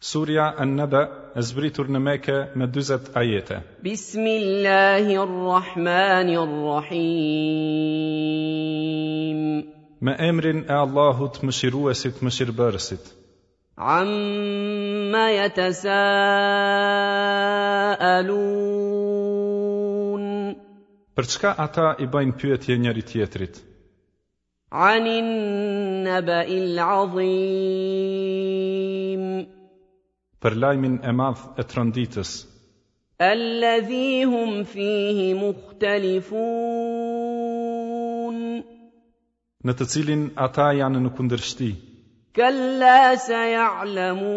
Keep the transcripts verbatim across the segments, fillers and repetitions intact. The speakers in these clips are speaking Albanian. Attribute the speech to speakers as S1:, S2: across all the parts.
S1: Surja An-Naba e zbritur në Mekë me dyzet ajete.
S2: بسم الله الرحمن الرحيم.
S1: Me emrin e Allahut, Mëshiruesit, Mëshirbërësit.
S2: عم يتساءلون.
S1: Për çka ata i bëjnë pyetje njëri tjetrit?
S2: عن النبأ العظيم.
S1: Për lajmin e madh e tronditës,
S2: الذي هم فيه مختلفون.
S1: Në të cilin ata janë në kundërshti.
S2: كلا سيعلمون.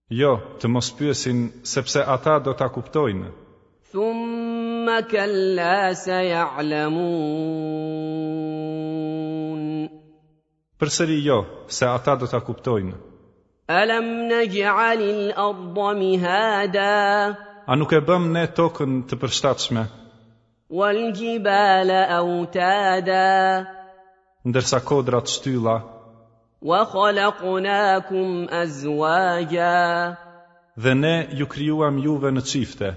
S1: Jo, të mos pyesin, sepse ata do ta kuptojnë.
S2: ثم كلا سيعلمون.
S1: Përsëri jo, se ata do ta kuptojnë.
S2: ألم نجعل الأرض مهادا.
S1: A nuk e bëm ne tokën të përshtatshme,
S2: والجبال أوتادا.
S1: Ndërsa kodrat shtylla,
S2: وخلقناكم أزواجا.
S1: Dhe ne ju krijuam juve në çifte,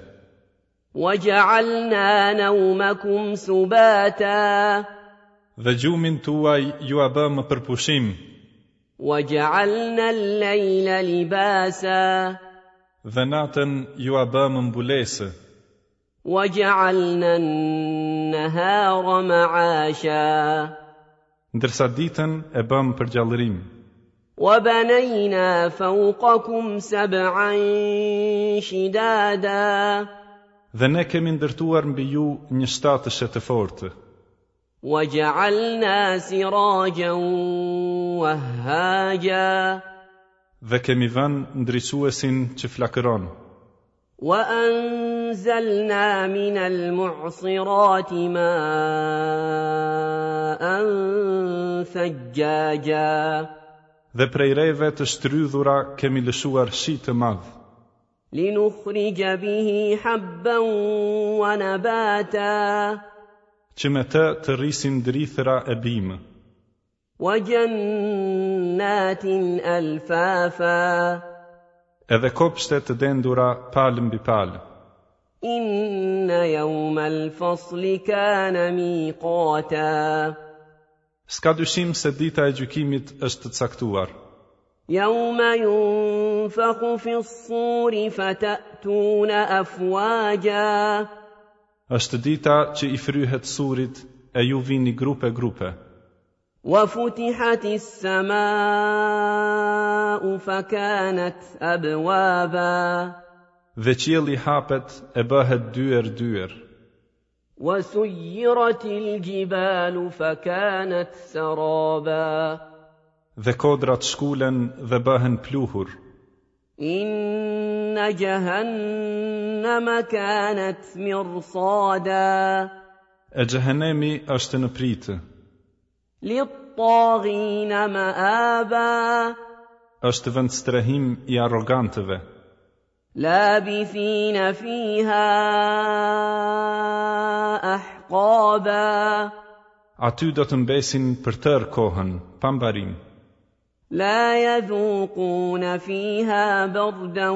S2: وجعلنا نومكم سباتا.
S1: Dhe gjumin tuaj ju a bëmë për pushim,
S2: وجعلنا الليل لباسا.
S1: Dhe natën ju a bëmë mbulesë,
S2: وجعلنا النهار معاشا.
S1: Ndërsa ditën e bëmë për gjallërim.
S2: وبنينا فوقكم سبعا شدادا.
S1: Dhe ne kemi ndërtuar mbi ju një shtatëshe të fortë,
S2: وجعلنا سراجا وهاجا.
S1: Dhe kemi vënë ndriçuesin që flakëron,
S2: وأنزلنا من المعصرات ماء ثجاجا.
S1: Dhe prej reve të shtrydhura kemi lëshuar shi të madh,
S2: لنخرج به حبا ونباتا.
S1: Që me të të rrisim drithëra e bimë,
S2: وجنات ألفافا.
S1: Edhe kopshte të dendura palë mbi palë.
S2: إن يوم الفصل كان ميقاتا.
S1: S'ka dyshim se dita e gjykimit është të caktuar.
S2: يوم ينفخ في الصور فتأتون أفواجا.
S1: Është dita që i fryhet surit e ju vini grupe grupe,
S2: وفتحت السماء فكانت أبوابا.
S1: Dhe qielli hapet e bëhet dyer dyer,
S2: وسيرت الجبال فكانت سرابا.
S1: Dhe kodrat shkulen dhe bëhen pluhur.
S2: إن جهنم كانت مرصادا.
S1: E xhehenemi është në pritë,
S2: للطاغين مآبا.
S1: Është vend strehim i arrogantëve,
S2: لابثين فيها أحقابا.
S1: Aty do të mbesin për tërë kohën, pa mbarim.
S2: لا يذوقون فيها بردا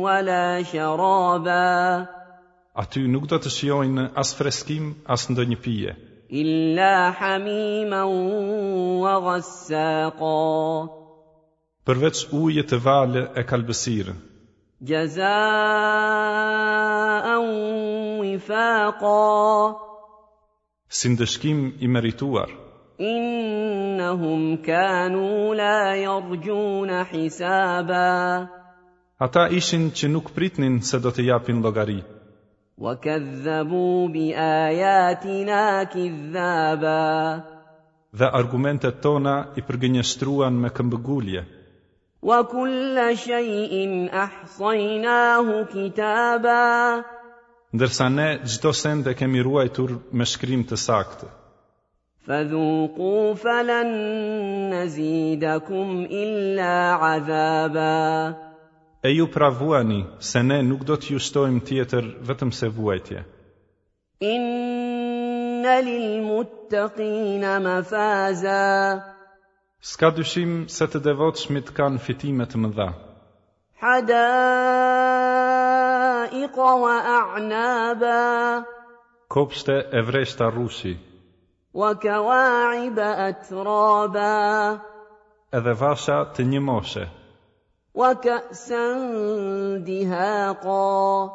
S2: ولا شرابا.
S1: Aty nuk do të shijojnë as freskim, as ndonjë pije,
S2: إلا حميما وغساقا.
S1: Përveç ujit të valë e kalbësirë,
S2: جزاء وفاقا.
S1: Si ndëshkim i merituar.
S2: إنهم كانوا لا يرجون حسابا.
S1: Ata ishin që nuk pritnin se do të japin llogari,
S2: وكذبوا بآياتنا كذابا.
S1: Dhe argumentet tona i përgënjeshtruan me këmbëgulje.
S2: وكل شيء أحصيناه كتابا.
S1: Ndërsa ne çdo send e kemi ruajtur me shkrim të saktë.
S2: فذوقوا فلن نزيدكم إلا عذابا.
S1: E ju pra vuani, se ne nuk do t'ju shtojmë tjetër vetëm se vuajtje.
S2: إن للمتقين مفازا.
S1: S'ka dyshim se të devotshmit kanë fitime të mëdha.
S2: حدائق وأعنابا
S1: Kopshte e vreshta rrushi,
S2: وكواعب أترابا
S1: edhe vasha të një moshe,
S2: وكأسا دهاقا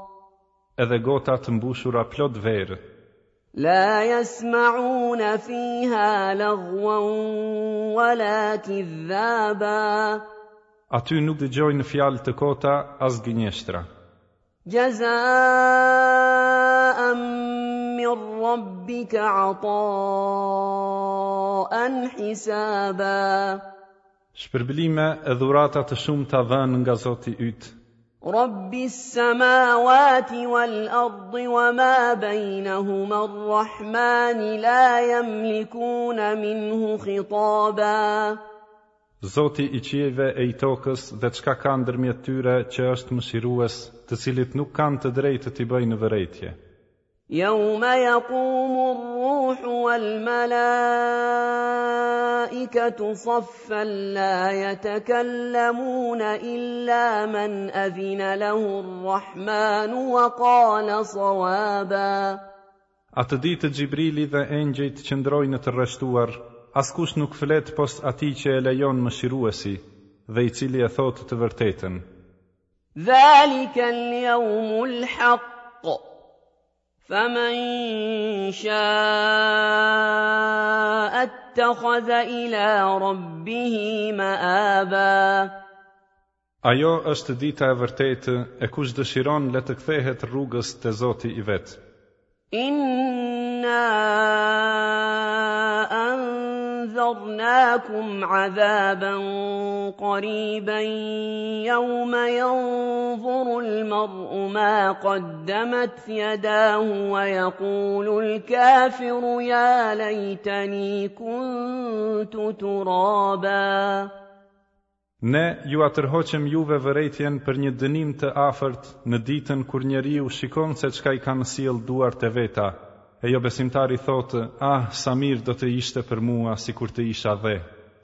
S1: edhe gota të mbushura plot verë.
S2: لا يسمعون فيها لغوا ولا كذابا
S1: Aty nuk dëgjojnë fjalë të kota as gënjeshtra.
S2: جزاء من ربك عطاء حسابا
S1: Shpërblime e dhurata të shumta dhënë nga Zoti yt,
S2: رب السماوات والأرض وما بينهما الرحمن لا يملكون منه خطابا
S1: Zoti i qiejve e i tokës dhe çka ka ndërmjet tyre që është mëshirues, të cilit nuk kanë të drejtë t'i bëjnë vërejtje.
S2: يوم يقوم الروح والملائكة صفا لا يتكلمون إلا من أذن له الرحمن وقال صوابا
S1: Atë ditë Xhibrili dhe engjëjt qëndrojnë të rreshtuar, askush nuk flet pos atij që e lejon mëshiruesi dhe i cili e thotë të vërtetën.
S2: ذلك اليوم الحق فمن شاء اتخذ إلى ربه مآبا
S1: Ajo është dita e vërtetë e kush dëshiron le të kthehet rrugës te Zoti i vet.
S2: إنا أنذرناكم عذابا قريبا يوم ينظر المرء ما قدمت يداه ويقول الكافر يا ليتني كنت ترابا
S1: Ne ju atërhoqëm juve vërejtjen për një dënim të afërt në ditën kur njeriu shikon se çka i kanë sjell duart e veta, e jo besimtari thotë, ah, sa mirë do të ishte për mua sikur të isha dhe.